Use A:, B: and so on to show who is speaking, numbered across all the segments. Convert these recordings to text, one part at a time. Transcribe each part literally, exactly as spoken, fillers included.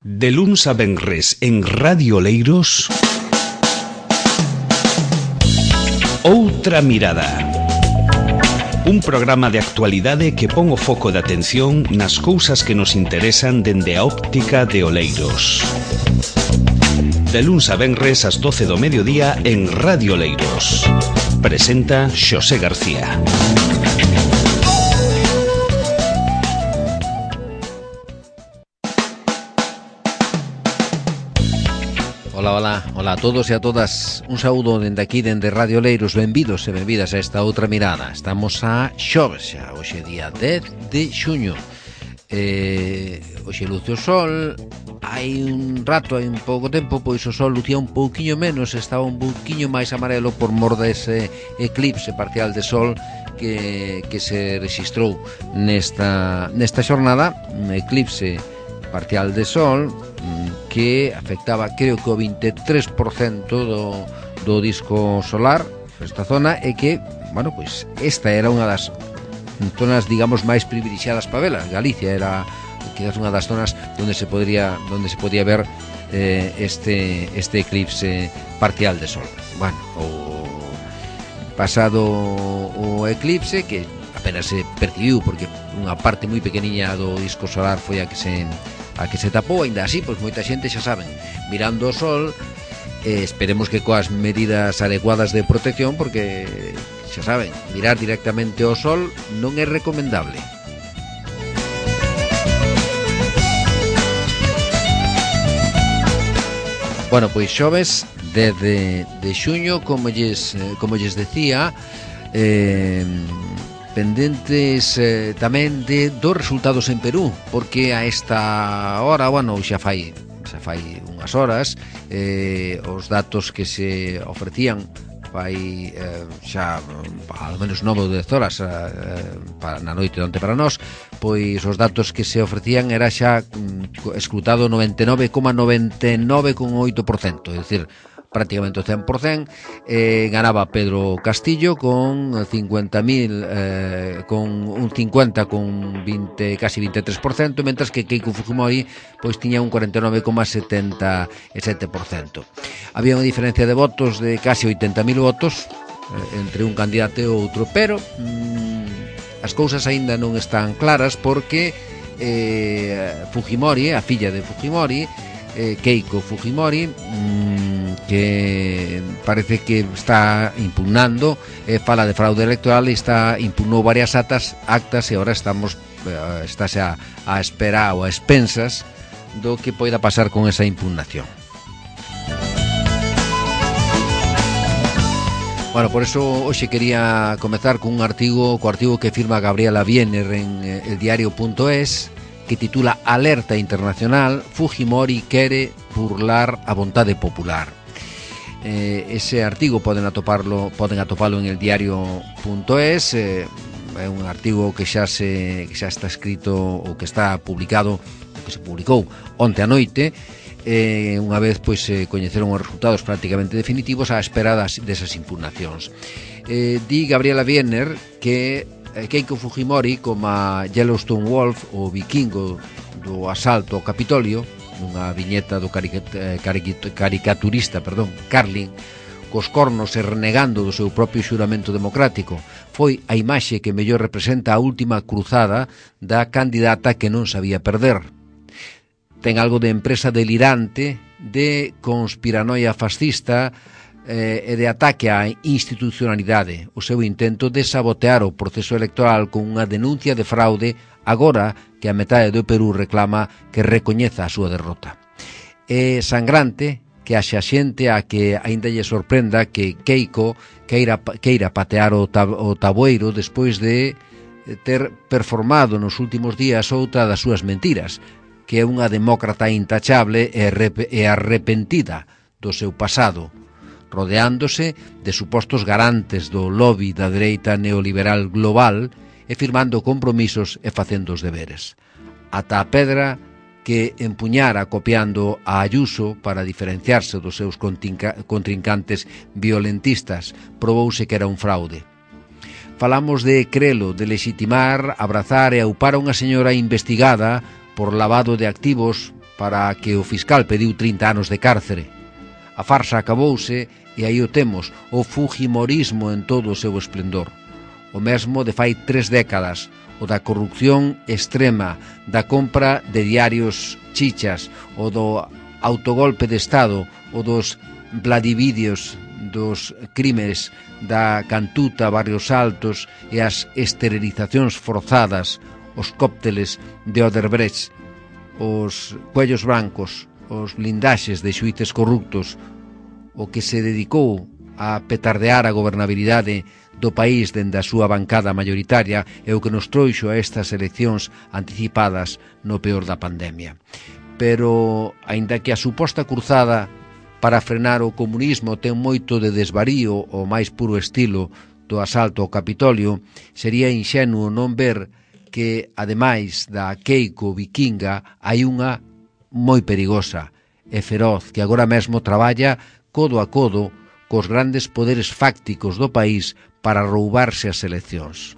A: De luns a venres en Radio Leiros, Outra Mirada. Un programa de actualidade que pon o foco de atención nas cousas que nos interesan dende a óptica de Oleiros. De luns a venres ás doce do mediodía en Radio Leiros. Presenta Xosé García.
B: Ola, ola, ola a todos e a todas. Un saúdo dende aquí, dende Radio Leiros. Benvidos e benvidas a esta outra mirada. Estamos a xoves xa, hoxe día dez de xuño. eh, Hoxe luce o sol. Hai un rato, hai un pouco tempo, pois o sol lucía un pouquiño menos. Estaba un pouquiño máis amarelo por mor dese eclipse parcial de sol que, que se rexistrou nesta, nesta xornada. Un eclipse parcial de sol que afectaba, creo que o vinte e tres por cento do, do disco solar esta zona, e que, bueno, pois esta era unha das zonas, digamos, máis privilexiadas para vela. Galicia era quizás unha das zonas onde se podría onde se podía ver eh, este este eclipse parcial de sol. Bueno, o pasado o eclipse, que apenas se percibiu porque unha parte moi pequeniña do disco solar foi a que se a que se tapou. Ainda así, pois moita xente, xa saben, mirando o sol, eh, esperemos que coas medidas adecuadas de protección, porque xa saben, mirar directamente ao sol non é recomendable. Bueno, pois xoves dez de, de xuño, como lles, como lles decía, eh, pendentes eh, tamén de dos resultados en Perú, porque a esta hora, bueno, xa fai xa fai unhas horas, eh, os datos que se ofrecían fai eh, xa ao menos nove ou dez horas eh, para na noite onte para nós, pois os datos que se ofrecían era xa mm, escrutado noventa e nove coma noventa e nove con oito por cento, é dicir, prácticamente o cen por cento. eh, ganaba Pedro Castillo con cincuenta mil, eh, con un cincuenta con veinte, casi vinte e tres por cento, mentras que Keiko Fujimori pois tiña un cuarenta e nove coma setenta e sete por cento. Había unha diferencia de votos de casi oitenta mil votos eh, entre un candidato e outro, pero mm, as cousas aínda non están claras, porque eh, Fujimori, a filla de Fujimori, eh, Keiko Fujimori, mmm, que parece que está impugnando, eh, fala de fraude electoral e está impugnou varias actas, actas e agora estamos eh, estáse a, a espera ou a expensas do que poida pasar con esa impugnación. Bueno, por eso hoxe quería comezar con un artigo, co artigo que firma Gabriela Wiener en eh, el diario punto es, que titula Alerta Internacional, Fujimori quere burlar a vontade popular. Eh, ese artigo poden atoparlo, poden atopalo en el diario punto es, eh, é un artigo que xa se que xa está escrito ou que está publicado, que se publicou onte a noite. Eh, unha vez pois se eh, coñeceron os resultados prácticamente definitivos á espera das, desas impugnacións. Eh, di Gabriela Wiener que Keiko Fujimori, como a Yellowstone Wolf, o vikingo do asalto ao Capitolio, unha viñeta do caricaturista, perdón, Carlin, cos cornos e renegando do seu propio xuramento democrático, foi a imaxe que mellor representa a última cruzada da candidata que non sabía perder. Ten algo de empresa delirante, de conspiranoia fascista eh, e de ataque á institucionalidade, o seu intento de sabotear o proceso electoral con unha denuncia de fraude agora que a metade do Perú reclama que recoñeza a súa derrota. É sangrante que haxa xente a que aínda lle sorprenda que Keiko queira, queira patear o, tab, o tabueiro despois de ter performado nos últimos días outra das súas mentiras, que é unha demócrata intachable e arrepentida do seu pasado, rodeándose de supostos garantes do lobby da dereita neoliberal global e firmando compromisos e facendo os deberes. Ata a pedra que empuñara copiando a Ayuso para diferenciarse dos seus contrincantes violentistas probouse que era un fraude. Falamos de crelo, de legitimar, abrazar e aupar a unha señora investigada por lavado de activos para que o fiscal pediu trinta anos de cárcere. A farsa acabouse e aí o temos, o fujimorismo en todo o seu esplendor. O mesmo de fai tres décadas, o da corrupción extrema, da compra de diarios chichas, o do autogolpe de Estado, o dos vladivídeos, dos crimes da Cantuta, Barrios Altos e as esterilizacións forzadas, os cócteles de Odebrecht, os cuellos brancos, os blindaxes de xuíces corruptos, o que se dedicou a petardear a gobernabilidade do país dende a súa bancada mayoritaria é o que nos trouxo a estas eleccións anticipadas no peor da pandemia. Pero, aínda que a suposta cruzada para frenar o comunismo ten moito de desvarío o máis puro estilo do asalto ao Capitolio, sería inxenuo non ver que, ademais da Keiko vikinga, hai unha moi perigosa e feroz que agora mesmo traballa codo a codo cos grandes poderes fácticos do país para roubarse as eleccións.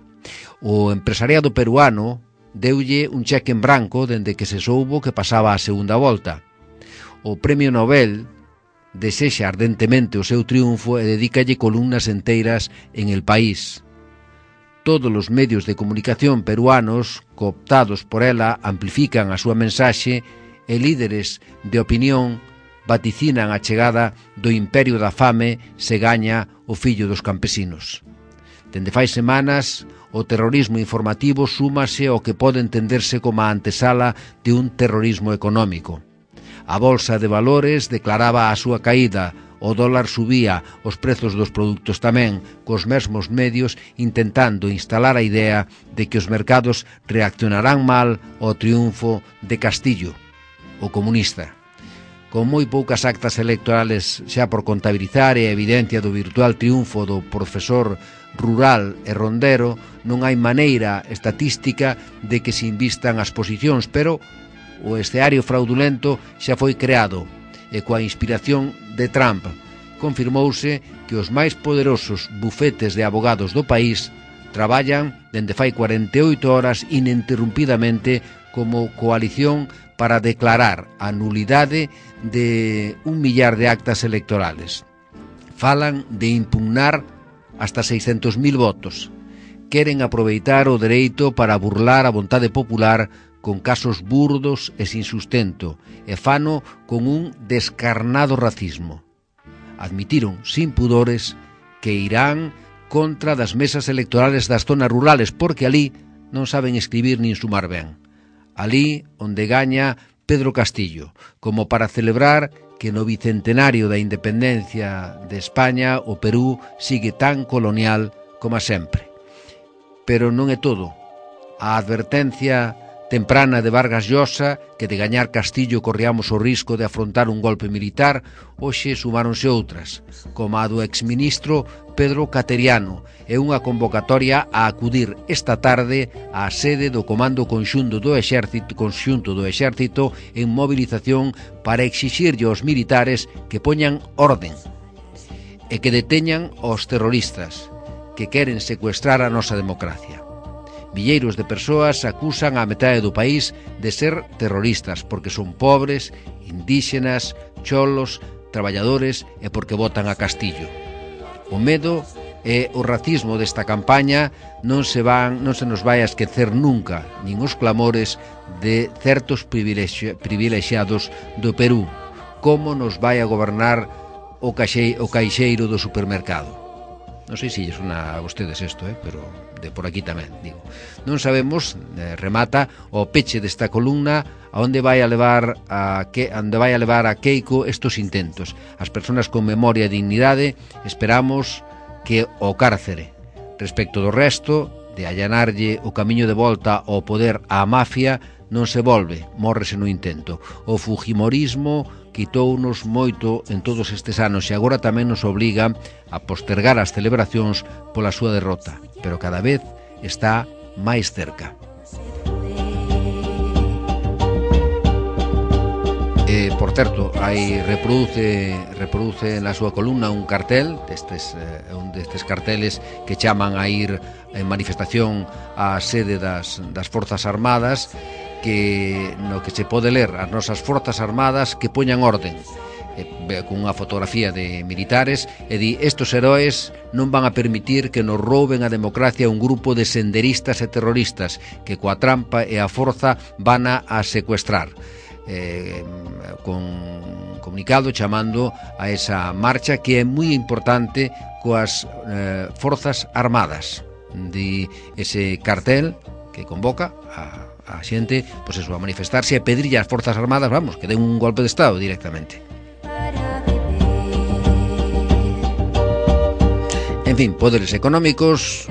B: O empresariado peruano deulle un cheque en branco dende que se soubo que pasaba a segunda volta. O Premio Nobel desexa ardentemente o seu triunfo e dedícalle columnas enteiras en El País. Todos os medios de comunicación peruanos, cooptados por ela, amplifican a súa mensaxe e líderes de opinión vaticinan a chegada do imperio da fame se gaña o fillo dos campesinos. Dende fai semanas, o terrorismo informativo súmase ao que pode entenderse como a antesala de un terrorismo económico. A bolsa de valores declaraba a súa caída, o dólar subía, os prezos dos produtos tamén, cos mesmos medios intentando instalar a idea de que os mercados reaccionarán mal ao triunfo de Castillo, o comunista. Con moi poucas actas electorales xa por contabilizar e a evidencia do virtual triunfo do profesor rural e rondero, non hai maneira estatística de que se invistan as posicións, pero o escenario fraudulento xa foi creado e coa inspiración de Trump confirmouse que os máis poderosos bufetes de abogados do país traballan dende fai cuarenta e oito horas ininterrumpidamente como coalición para declarar a nulidade de un millar de actas electorales. Falan de impugnar hasta seiscentos mil votos. Queren aproveitar o dereito para burlar a vontade popular con casos burdos e sin sustento, e fano con un descarnado racismo. Admitiron, sin pudores, que irán contra das mesas electorales das zonas rurales, porque alí non saben escribir nin sumar ben. Alí onde gaña Pedro Castillo, como para celebrar que no bicentenario da independencia de España o Perú sigue tan colonial como sempre. Pero non é todo. A advertencia temprana de Vargas Llosa, que de gañar Castillo corríamos o risco de afrontar un golpe militar, hoxe sumáronse outras, como a do exministro Pedro Cateriano, e unha convocatoria a acudir esta tarde á sede do Comando Conxunto do Exército, Conxunto do Exército en movilización para exixirlle aos militares que poñan orden e que deteñan aos terroristas que queren secuestrar a nosa democracia. Milleiros de persoas acusan a metade do país de ser terroristas porque son pobres, indígenas, cholos, traballadores e porque votan a Castillo. O medo e o racismo desta campaña non se van, non se nos vai a esquecer nunca, nin os clamores de certos privilexi- privilexiados do Perú, como nos vai a gobernar o, caixei, o caixeiro do supermercado. Non sei se lles sona a vostedes isto, eh? Pero de por aquí tamén, digo. Non sabemos, eh, remata, o peche desta columna a onde vai a levar a que onde vai a levar a Keiko estos intentos. As persoas con memoria e dignidade esperamos que o cárcere. Respecto do resto, de allanarlle o camiño de volta ao poder á mafia, non se volve, mórrese no intento. O fujimorismo quitounos moito en todos estes anos e agora tamén nos obliga a postergar as celebracións pola súa derrota, pero cada vez está máis cerca. E, por certo, hai reproduce reproduce na súa columna un cartel destes, eh, un destes carteles que chaman a ir en manifestación á sede das, das Forzas Armadas que no que se pode ler as nosas forzas armadas que poñan orden, e, con unha fotografía de militares, e di: estos heróis non van a permitir que nos rouben a democracia un grupo de senderistas e terroristas que coa trampa e a forza van a, a secuestrar. Eh, con comunicado chamando a esa marcha que é moi importante coas eh, forzas armadas, de ese cartel que convoca a, a xente, pois eso, a manifestarse e pedirlle ás forzas armadas, vamos, que den un golpe de estado directamente. En fin, poderes económicos,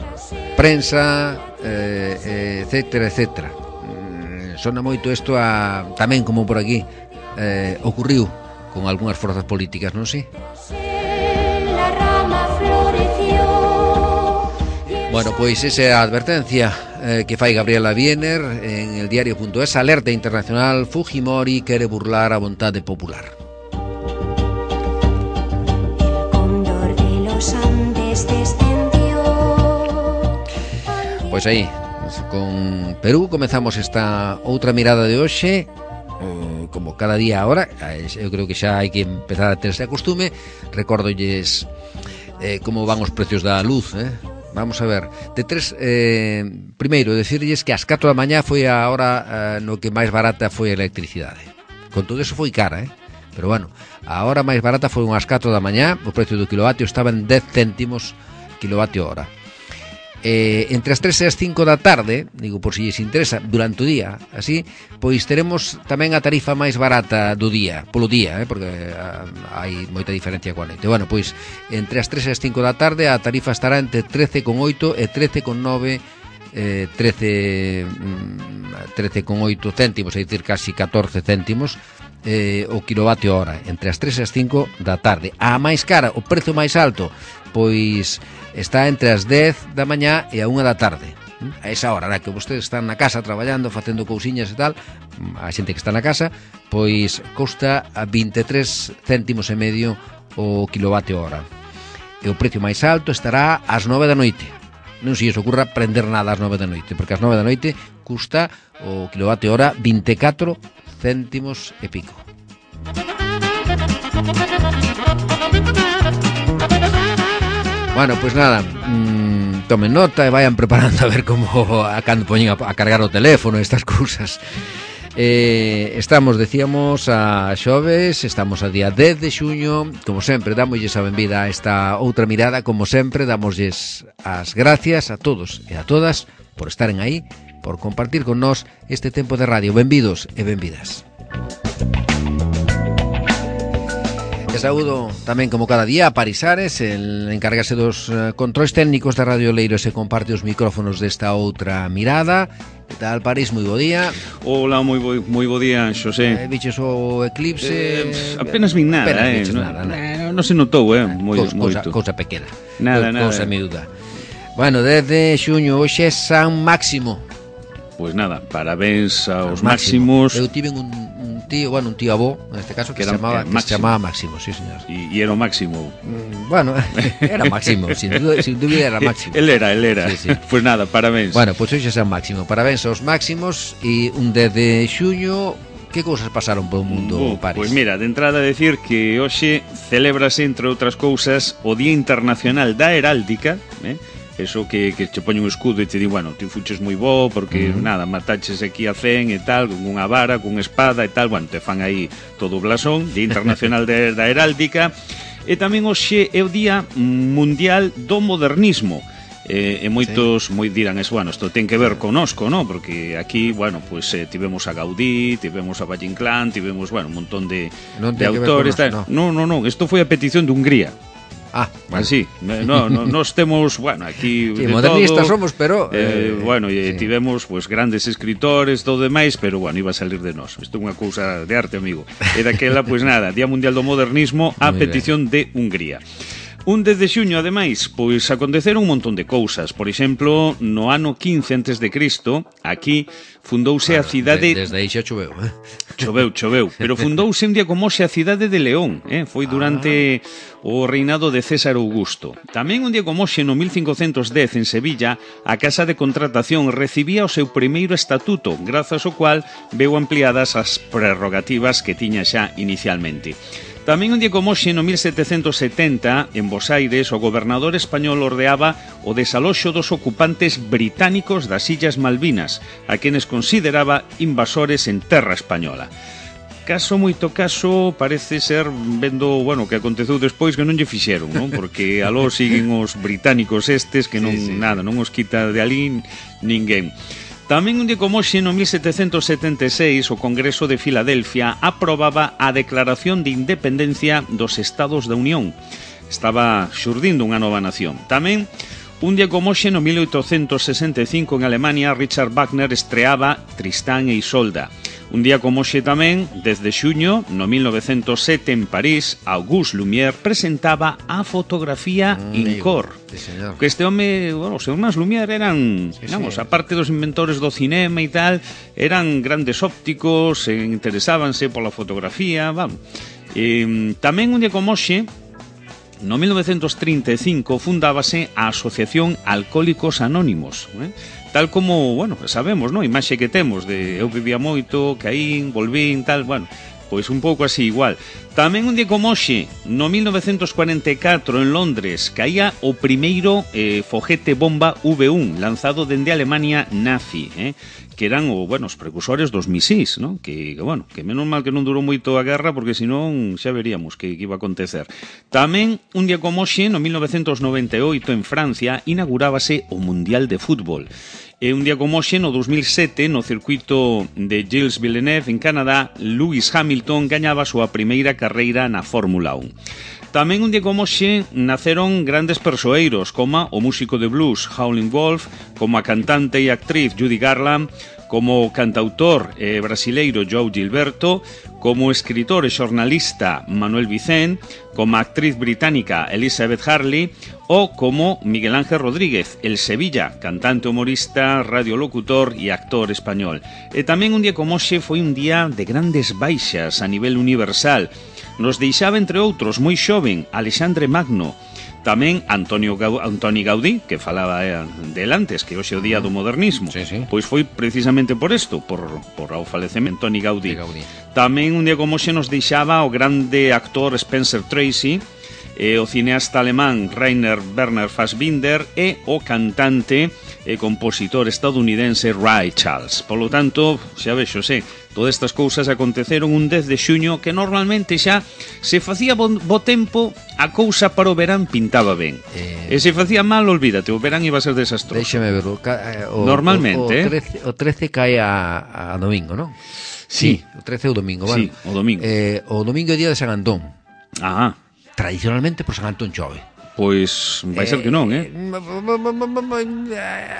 B: prensa, eh, etcétera, etcétera. Sona moito isto a, tamén como por aquí eh, ocurriu con algunhas forzas políticas, non si? Bueno, pois esa é a advertencia eh, que fai Gabriela Wiener en el diario punto es. Alerta internacional: Fujimori quere burlar a vontade popular. Pois aí, con Perú comezamos esta outra mirada de hoxe, eh, como cada día agora. Eu creo que xa hai que empezar a ter ese costume. Recórdolles eh, como van os precios da luz, eh? Vamos a ver, de tres, eh, primeiro, decirlles que ás catro da mañá foi a hora eh, no que máis barata foi a electricidade. Con todo eso foi cara, eh? Pero bueno, a hora máis barata foi unhas catro da mañá, o precio do kilovatio estaba en dez céntimos kilovatio hora. Eh, entre as tres e as cinco da tarde, digo por si lles interesa, durante o día, así, pois teremos tamén a tarifa máis barata do día, polo día, eh, porque a, hai moita diferencia coa noite. Bueno, pois entre as tres e as cinco da tarde a tarifa estará entre trece con oito e trece con nove, eh, trece con oito céntimos, é dicir, casi catorce céntimos eh, o kilovatio hora, entre as tres e as cinco da tarde. A máis cara, o prezo máis alto, pois está entre as dez da mañá e a unha da tarde. A esa hora na que vostedes están na casa traballando, facendo cousiñas e tal, a xente que está na casa, pois custa a vinte e tres céntimos e medio o kilovatio hora. E o precio máis alto estará ás nove da noite. Non se lles ocurra prender nada ás nove da noite, porque ás nove da noite custa o kilovatio hora vinte e catro céntimos e pico. Bueno, pois pues nada, mmm, tomen nota e vayan preparando a ver como a cando poñen a, a cargar o teléfono, estas cousas. Eh, estamos, decíamos, a xoves, estamos a día dez de xuño. Como sempre, damosles a benvida a esta outra mirada. Como sempre, damosles as gracias a todos e a todas por estaren aí, por compartir con nós este tempo de radio. Benvidos e benvidas. E saúdo tamén, como cada día, a Parisares, el encárgase dos uh, controis técnicos da Radio Leiro, e se comparte os micrófonos desta outra mirada. Que tal, París? Moi bo día.
C: Hola, moi bo, moi bo día, Xosé.
B: Eh, viches o eclipse?
C: Eh, apenas vin nada,
B: apenas
C: eh.
B: viches
C: no,
B: nada, nada.
C: No, no se notou, eh, moi,
B: Cousa,
C: moito.
B: cousa pequena.
C: Nada,
B: cousa,
C: nada.
B: Cousa miúda. Bueno, desde xuño, hoxe é San Máximo.
C: Pois nada, parabéns aos
B: Máximo.
C: máximos.
B: Eu tive un, un tío, bueno, un tío avó, neste caso, que,
C: Que era,
B: se chamaba,
C: eh,
B: que se
C: Máximo.
B: chamaba Máximo, sí, señor.
C: E, e era o máximo.
B: Mm, bueno, era Máximo, sin duda, sin duda era Máximo.
C: El era, el era.
B: Sí, sí.
C: Pois nada, parabéns.
B: Bueno, pois hoxe é San Máximo. Parabéns aos máximos. E un dez de xuño, que cousas pasaron polo mundo,
C: Uh,
B: París?
C: Pois mira, de entrada decir que hoxe celébrase, entre outras cousas, o Día Internacional da Heráldica, eh? Eso que, que che poñe un escudo e te di, bueno, ti fuches moi bo porque, uh -huh. nada, mataches aquí a cen e tal, con unha vara, con unha espada e tal, bueno, te fan aí todo o blasón. Día Internacional de, da Heráldica. E tamén hoxe é o Día Mundial do Modernismo. E, e moitos sí. moi dirán eso, bueno, isto ten que ver conosco, ¿no? Porque aquí, bueno, pues eh, tivemos a Gaudí, tivemos a Valle Inclán, tivemos, bueno, un montón de, de autores. Conosco, no. no, no, no, isto foi a petición de Hungría.
B: Ah, bueno.
C: Así, no, no, nos temos, bueno, aquí
B: sí,
C: de
B: modernistas
C: todo,
B: somos, pero
C: eh,
B: eh,
C: bueno, e
B: sí.
C: tivemos pues grandes escritores, todo demais, pero bueno, iba a salir de nós. Isto é unha cousa de arte, amigo. E daquela, pois pues, nada, Día Mundial do Modernismo a petición de Hungría. Un dez de xuño, ademais, pois aconteceron un montón de cousas. Por exemplo, no ano quince antes de Cristo, aquí fundouse
B: bueno,
C: a cidade...
B: Desde aí xa choveu, eh?
C: Choveu, choveu. Pero fundouse un día como hoxe a cidade de León, eh? Foi durante ah. o reinado de César Augusto. Tamén un día como hoxe, no mil cincocentos dez, en Sevilla, a Casa de Contratación recibía o seu primeiro estatuto, grazas ao cual veu ampliadas as prerrogativas que tiña xa inicialmente. Tamén un día como hoxe, no mil setecentos setenta, en Bos Aires, o gobernador español ordeaba o desaloxo dos ocupantes británicos das Illas Malvinas, a quenes consideraba invasores en terra española. Caso, moito caso, parece ser, vendo, bueno, que aconteceu despois, que non lle fixeron, non? Porque aló siguen os británicos estes, que non, sí, sí. nada, non os quita de alí ninguén. Tamén un día como hoxe, no mil setecentos setenta e seis, o Congreso de Filadelfia aprobaba a Declaración de Independencia dos Estados da Unión. Estaba xurdindo unha nova nación. Tamén, un día como hoxe, no mil oitocentos sesenta e cinco, en Alemania, Richard Wagner estreaba Tristán e Isolda. Un día como hoxe tamén, desde xuño, no mil novecentos sete, en París, Auguste Lumière presentaba a fotografía mm, in cor. Sí, que este home, bueno, os irmáns Lumière eran, sí, digamos, sí. aparte dos inventores do cinema e tal, eran grandes ópticos, e interesábanse pola fotografía, vamos. E, tamén un día como hoxe, no mil novecentos trinta e cinco, fundábase a Asociación Alcohólicos Anónimos, eh? Tal como, bueno, sabemos, non? Imaxe que temos de eu vivía moito, caín, volvín, tal, bueno, pois un pouco así igual. Tamén un día como hoxe, no mil novecentos cuarenta e catro, en Londres, caía o primeiro eh, foguete bomba V uno, lanzado dende Alemania nazi, eh? que eran o, bueno, os precursores dos misís, ¿no? Que, que, bueno, que menos mal que non durou moito a guerra, porque senón xa veríamos que, que iba a acontecer. Tamén, un día como hoxe, no mil novecentos noventa e oito, en Francia, inaugurábase o Mundial de Fútbol. E un día como hoxe, no dos mil sete, no circuito de Gilles Villeneuve, en Canadá, Lewis Hamilton gañaba a súa primeira carreira na Fórmula uno. Tamén un día como hoxe naceron grandes persoeiros, como o músico de blues Howlin' Wolf, como a cantante e actriz Judy Garland, como o cantautor eh, brasileiro João Gilberto, como escritor e xornalista Manuel Vicent, como a actriz británica Elizabeth Harley, ou como Miguel Ángel Rodríguez, el Sevilla, cantante, humorista, radiolocutor e actor español. E tamén un día como hoxe foi un día de grandes baixas a nivel universal. Nos deixaba, entre outros, moi xoven, Alexandre Magno, tamén Antonio Gaudí, Antoni Gaudí, que falaba eh, del antes, que hoxe é o día do modernismo. Sí, sí. Pois foi precisamente por isto, por, por o falecemento de Antoni Gaudí. Gaudí. Tamén un día como hoxe nos deixaba o grande actor Spencer Tracy, eh, o cineasta alemán Rainer Werner Fassbinder e o cantante e compositor estadounidense Ray Charles. Polo tanto, xa vexo, sé, todas estas cousas aconteceron un dez de xuño, que normalmente xa se facía bo, bo tempo, a cousa para o verán pintaba ben. Eh... E se facía mal, olvídate, o verán iba a ser desastroso.
B: Déxame ver, o, o,
C: normalmente,
B: o, o, trece, o trece cae a, a domingo, non?
C: Sí.
B: sí. O trece é o domingo, vale?
C: Sí, o domingo.
B: Eh, o domingo é día de San Antón.
C: Ah.
B: Tradicionalmente por San Antón chove.
C: Pois vai ser que non, eh?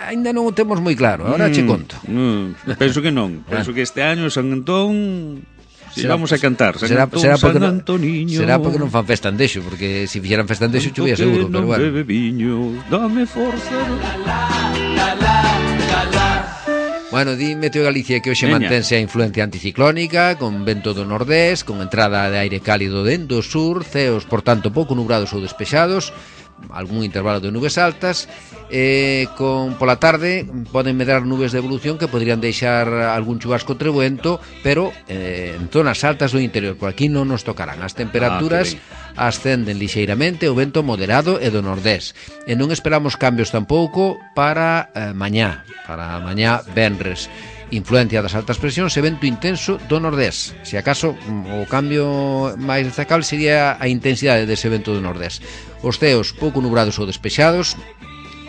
B: Ainda non o temos moi claro, agora mm, che conto.
C: Mm, penso que non, penso que este año San Antón si será, vamos a cantar San
B: será,
C: Antón,
B: será porque
C: San Antoniño.
B: Será porque non fan festa en Dexo, porque se fixeran festa en Dexo chovía seguro, pero bueno.
C: Bebe viño, dame forza. La, la, la, la, la, la.
B: Bueno, di Meteo Galicia que hoxe mantense a influencia anticiclónica, con vento do nordés, con entrada de aire cálido dentro do sur, ceos, por tanto, pouco nubrados ou despexados, algún intervalo de nubes altas, eh, con pola tarde poden medrar nubes de evolución que podrían deixar algún chubasco trebuento, pero eh, en zonas altas do interior, por aquí non nos tocarán. As temperaturas ah, ascenden lixeiramente, o vento moderado e do nordés, e non esperamos cambios tampouco para eh, mañá, para mañá venres. Influencia das altas presións e vento intenso do nordés. Se acaso o cambio máis destacable sería a intensidade dese vento do nordés. Os ceos pouco nubrados ou despexados,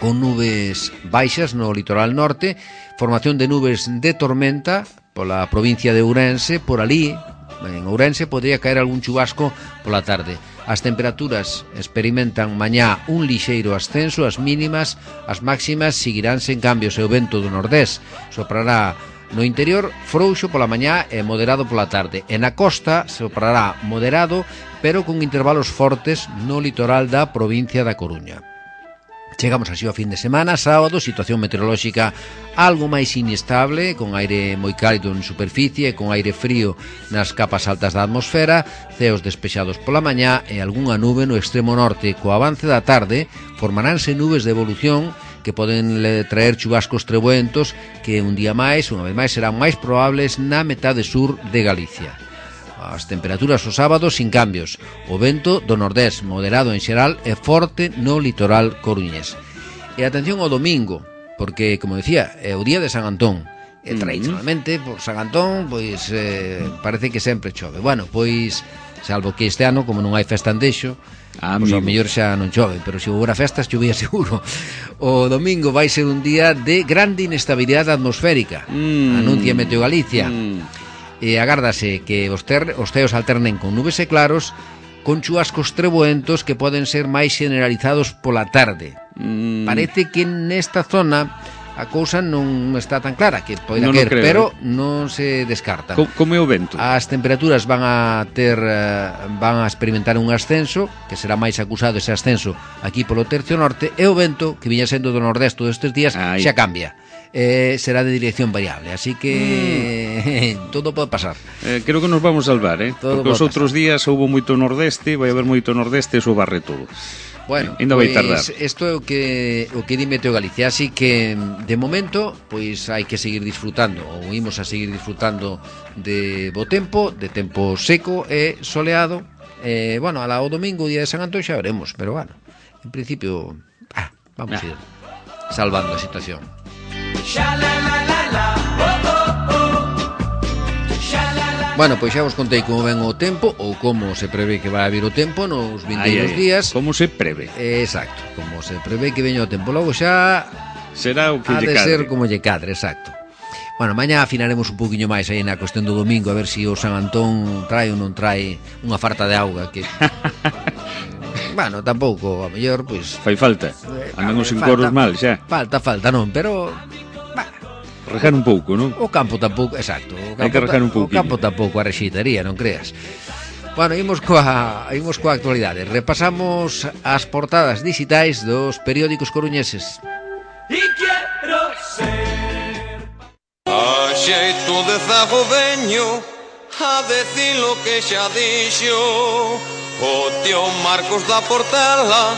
B: con nubes baixas no litoral norte, formación de nubes de tormenta pola provincia de Ourense, por ali, en Ourense, podría caer algún chubasco pola tarde. As temperaturas experimentan mañá un lixeiro ascenso, as mínimas, as máximas seguirán sen cambios e o vento do nordés soprará no interior frouxo pola mañá e moderado pola tarde. E na costa soprará moderado, pero con intervalos fortes no litoral da provincia da Coruña. Chegamos así ao fin de semana, sábado, situación meteorolóxica algo máis inestable, con aire moi cálido en superficie, con aire frío nas capas altas da atmosfera, ceos despexados pola mañá e algunha nube no extremo norte. Co avance da tarde formaránse nubes de evolución que poden traer chubascos trebuentos que un día máis, unha vez máis, serán máis probables na metade sur de Galicia. As temperaturas o sábado sin cambios. O vento do nordés moderado en xeral e forte no litoral coruñés. E atención ao domingo, porque, como decía, é o día de San Antón. E tradicionalmente, por San Antón, pois eh, parece que sempre chove. Bueno, pois, salvo que este ano, como non hai festa en Deixo, ah, pois ao mellor xa non chove, pero se houbera festas chovía seguro. O domingo vai ser un día de grande inestabilidade atmosférica. Mm. Anuncia Meteo Galicia. Mm. E agárdase que os, ter, os ceos alternen con nubes e claros, con chubascos trebuentos que poden ser máis generalizados pola tarde. Mm. Parece que nesta zona a cousa non está tan clara, que pode
C: non
B: caer,
C: creo,
B: pero
C: eh?
B: non se descarta.
C: Co, como é o vento?
B: As temperaturas van a ter van a experimentar un ascenso, que será máis acusado ese ascenso aquí polo tercio norte, e o vento, que viña sendo do nordeste todos estes días, Ay. xa cambia. Eh, será de dirección variable, así que mm. todo pode pasar.
C: Eh, creo que nos vamos salvar, eh?
B: Todo
C: porque os outros días houve moito nordeste, vai haber moito nordeste, eso barre todo.
B: Bueno,
C: ainda
B: pois,
C: vai tardar.
B: Isto é o que o que di Meteo Galicia, así que de momento pois hai que seguir disfrutando, ou imos a seguir disfrutando de bo tempo, de tempo seco e soleado. Eh, bueno, ala o domingo, día de San Antón, xa veremos, pero bueno, en principio, ah, vamos ah. a ir salvando a situación. Bueno, pois xa vos contei como ven o tempo, ou como se prevé que vai a vir o tempo nos vindeiros días.
C: Como se prevé.
B: Eh, exacto, como se prevé que veña o tempo. Logo xa
C: será o que
B: ha
C: lle
B: de
C: cadre.
B: ser como lle cadre, exacto. Bueno, mañá afinaremos un poquinho máis aí na cuestión do domingo, a ver se si o San Antón trae ou non trae unha farta de auga que... Bueno, tampouco, a mellor, pois...
C: Fai falta, andan os encoros mal xa.
B: Falta, falta, non, pero...
C: Rejar un pouco, non?
B: O campo tampouco, exacto. O campo,
C: hai que rejar un pouco.
B: O campo tampouco a rexitaría, non creas. Bueno, imos coa, imos coa actualidade. Repasamos as portadas digitais dos periódicos coruñeses.
D: Y quiero ser a xeito de zagoveño, a decir lo que xa dixo o tío Marcos da Portela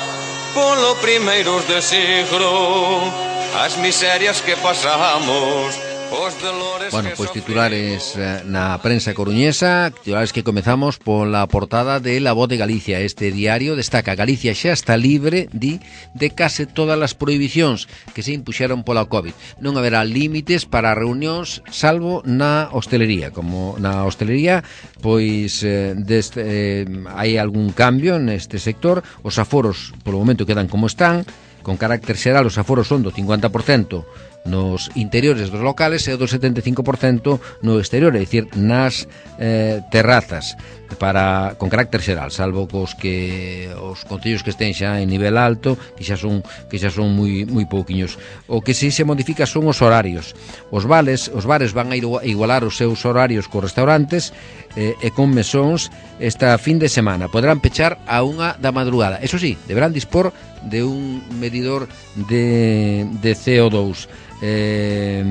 D: polo primeiros de siglo. As miserias que pasamos, os dolores.
B: Bueno,
D: que
B: pois titulares eh, na prensa coruñesa, titulares que comezamos pola portada de La Voz de Galicia. Este diario destaca: Galicia xa está libre, di, de case todas as prohibicións que se impuxeron pola COVID. Non haberá límites para reunións, salvo na hostelería. Como na hostelería, pois eh, deste, eh, hai algún cambio neste sector. Os aforos, polo momento, quedan como están. Con carácter xeral, os aforos son do cincuenta por cento nos interiores dos locales e do setenta e cinco por cento no exterior, é dicir, nas eh, terrazas, para con carácter xeral, salvo cos que os concellos que estén xa en nivel alto, que xa son que xa son moi moi pouquiños. O que si se modifica son os horarios. Os vales, os bares van a igualar os seus horarios cos restaurantes eh, e con mesóns esta fin de semana. Poderán pechar a unha da madrugada. Eso sí, deberán dispor de un medidor de, de C O dos. Eh,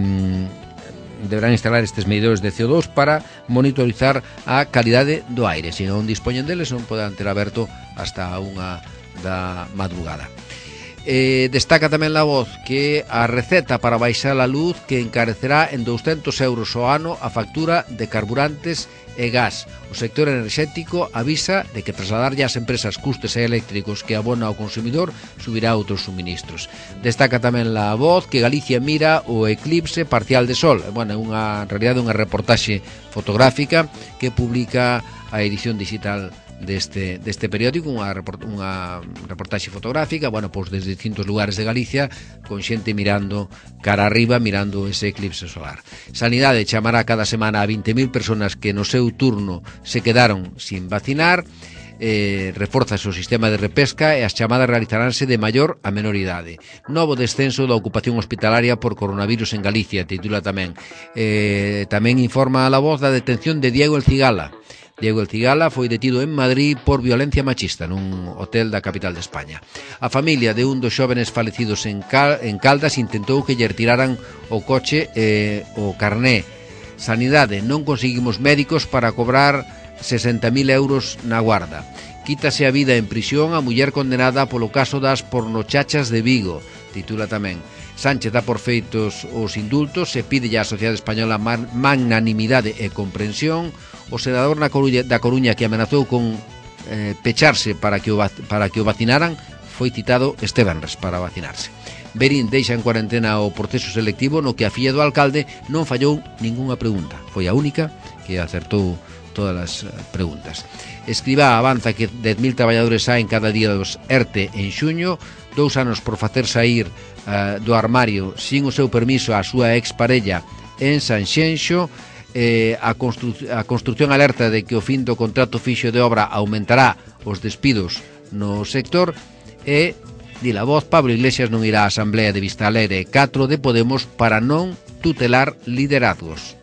B: deberán instalar estes medidores de C O dos para monitorizar a calidade do aire. Se non dispoñen deles, non poderán ter aberto hasta a unha da madrugada. Eh, destaca tamén La Voz que a receta para baixar a luz que encarecerá en douscentos euros ao ano a factura de carburantes e gas. O sector enerxético avisa de que trasladarlle ás empresas custes eléctricos que abona ao consumidor subirá outros suministros. Destaca tamén La Voz que Galicia mira o eclipse parcial de sol. Bueno, é unha, en realidade, unha reportaxe fotográfica que publica a edición digital deste, deste periódico, unha, report, unha reportaxe fotográfica, bueno, pois desde distintos lugares de Galicia, con xente mirando cara arriba, mirando ese eclipse solar. Sanidade chamará cada semana a vinte mil personas que no seu turno se quedaron sin vacinar. Eh, reforza o sistema de repesca e as chamadas realizaránse de maior a menor idade. Novo descenso da ocupación hospitalaria por coronavirus en Galicia, titula tamén. Eh, tamén informa a La Voz da detención de Diego El Cigala. Diego El Cigala foi detido en Madrid por violencia machista nun hotel da capital de España. A familia de un dos xóvenes falecidos en, Cal en Caldas intentou que lle retiraran o coche e eh, o carné. Sanidade, non conseguimos médicos para cobrar sesenta mil euros na guarda. Quítase a vida en prisión a muller condenada polo caso das pornochachas de Vigo, titula tamén. Sánchez dá por feitos os indultos e pide á sociedade española magnanimidade e comprensión. O senador na Coruña, da Coruña que amenazou con eh, pecharse para que, o, para que o vacinaran foi citado este venres para vacinarse. Berín deixa en cuarentena o proceso selectivo no que a filla do alcalde non fallou ningunha pregunta. Foi a única que acertou todas as preguntas. Escribá avanza que dez mil traballadores saen cada día dos ERTE en xuño, dous anos por facer sair uh, do armario sin o seu permiso a súa exparella en Sanxenxo, eh, a, constru a construcción alerta de que o fin do contrato fixo de obra aumentará os despidos no sector e, di la voz, Pablo Iglesias non irá á Asamblea de Vistalegre catro de Podemos para non tutelar liderazgos.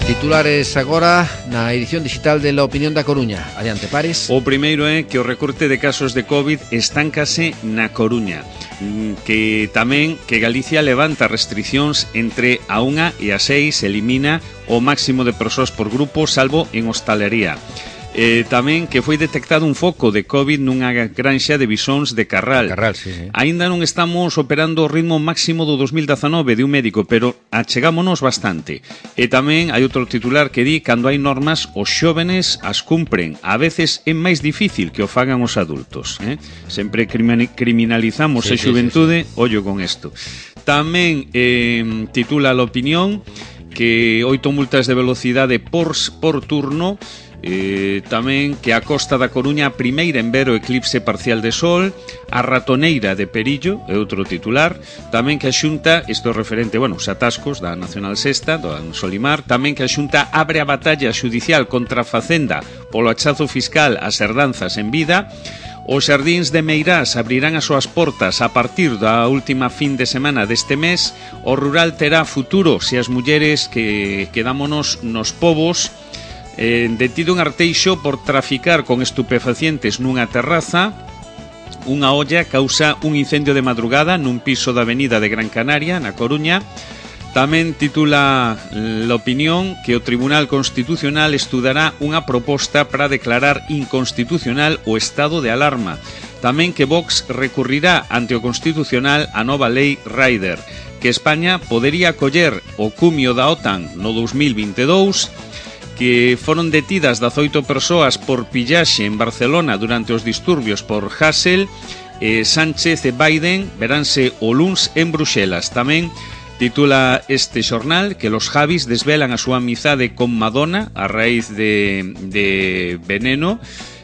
B: Titulares agora na edición digital de La Opinión da Coruña. Adiante, Pares.
C: O primeiro é que o recorte de casos de COVID estáncase na Coruña, que tamén que Galicia levanta restriccións entre a unha e a seis, elimina o máximo de persoas por grupo, salvo en hostalería. Eh, tamén que foi detectado un foco de COVID nunha granxa de bisóns de Carral.
B: Carral, sí, sí.
C: Aínda non estamos operando o ritmo máximo do dos mil dezanove de un médico, pero achegámonos bastante. E tamén hai outro titular que di: cando hai normas, os xóvenes as cumpren. A veces é máis difícil que o fagan os adultos. Eh? Sempre criminalizamos sí, a xuventude, sí, sí, sí. Ollo con isto. Tamén eh, titula La Opinión que oito multas de velocidade por, por turno. Eh, tamén que a costa da Coruña a primeira en ver o eclipse parcial de sol, a ratoneira de Perillo é outro titular. Tamén que a Xunta, isto é referente, bueno, os atascos da Nacional Sexta, do Solimar. Tamén que a Xunta abre a batalla xudicial contra a Facenda polo achazo fiscal ás herdanzas en vida. Os xardíns de Meirás abrirán as súas portas a partir da última fin de semana deste mes. O rural terá futuro se as mulleres que quedámonos nos povos. Eh, detido en Arteixo por traficar con estupefacientes nunha terraza. Unha olla causa un incendio de madrugada nun piso da avenida de Gran Canaria, na Coruña. Tamén titula La Opinión que o Tribunal Constitucional estudará unha proposta para declarar inconstitucional o estado de alarma. Tamén que Vox recurrirá ante o Constitucional a nova lei Rider, que España podería acoller o cumio da OTAN no dos mil vinte e dous, que foron detidas dezaoito persoas por pillaxe en Barcelona durante os disturbios por Hasél. eh, Sánchez e Biden veránse o luns en Bruxelas. Tamén titula este xornal que los Javis desvelan a súa amizade con Madonna a raíz de, de Veneno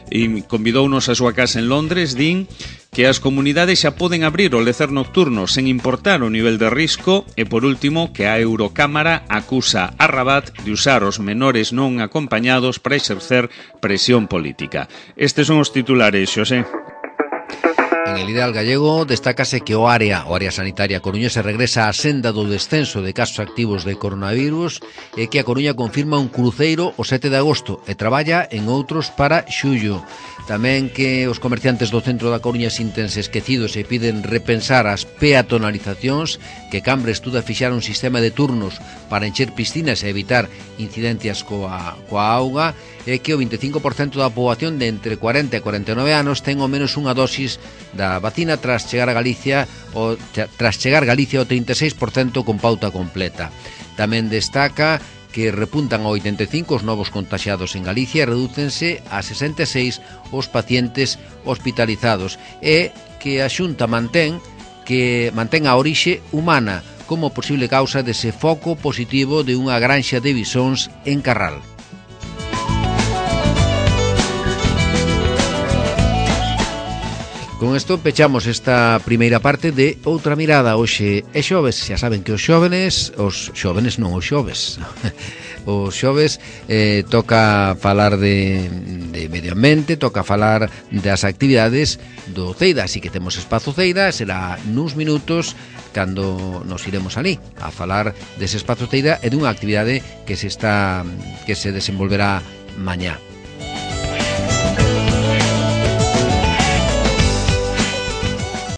C: e convidounos a súa casa en Londres. Din que as comunidades xa poden abrir o lecer nocturno sen importar o nivel de risco. E por último, que a Eurocámara acusa a Rabat de usar os menores non acompañados para exercer presión política. Estes son os titulares, Xosé.
B: En el ideal gallego destácase que o área, o área sanitaria coruñesa regresa á senda do descenso de casos activos de coronavirus e que a Coruña confirma un cruceiro o sete de agosto e traballa en outros para xullo. Tamén que os comerciantes do centro da Coruña sintense esquecidos e piden repensar as peatonalizacións, que Cambre estuda fixar un sistema de turnos para encher piscinas e evitar incidencias coa, coa auga, e que o vinte e cinco por cento da poboación de entre cuarenta e cuarenta e nove anos ten ao menos unha dosis da vacina tras chegar a Galicia o, tras chegar Galicia ao trinta e seis por cento con pauta completa. Tamén destaca que repuntan a oitenta e cinco os novos contaxiados en Galicia e redúcense a sesenta e seis os pacientes hospitalizados, e que a Xunta mantén que mantén a orixe humana como posible causa dese foco positivo de unha granxa de bisóns en Carral. Con isto pechamos esta primeira parte de Outra Mirada. Hoxe é xoves, xa saben que os xóvenes, os xóvenes non os xoves, os xoves eh, toca falar de, de medio ambiente, toca falar das actividades do Ceida, así que temos espazo Ceida, será nuns minutos cando nos iremos ali a falar dese espazo Ceida e dunha actividade que se está que se desenvolverá mañá.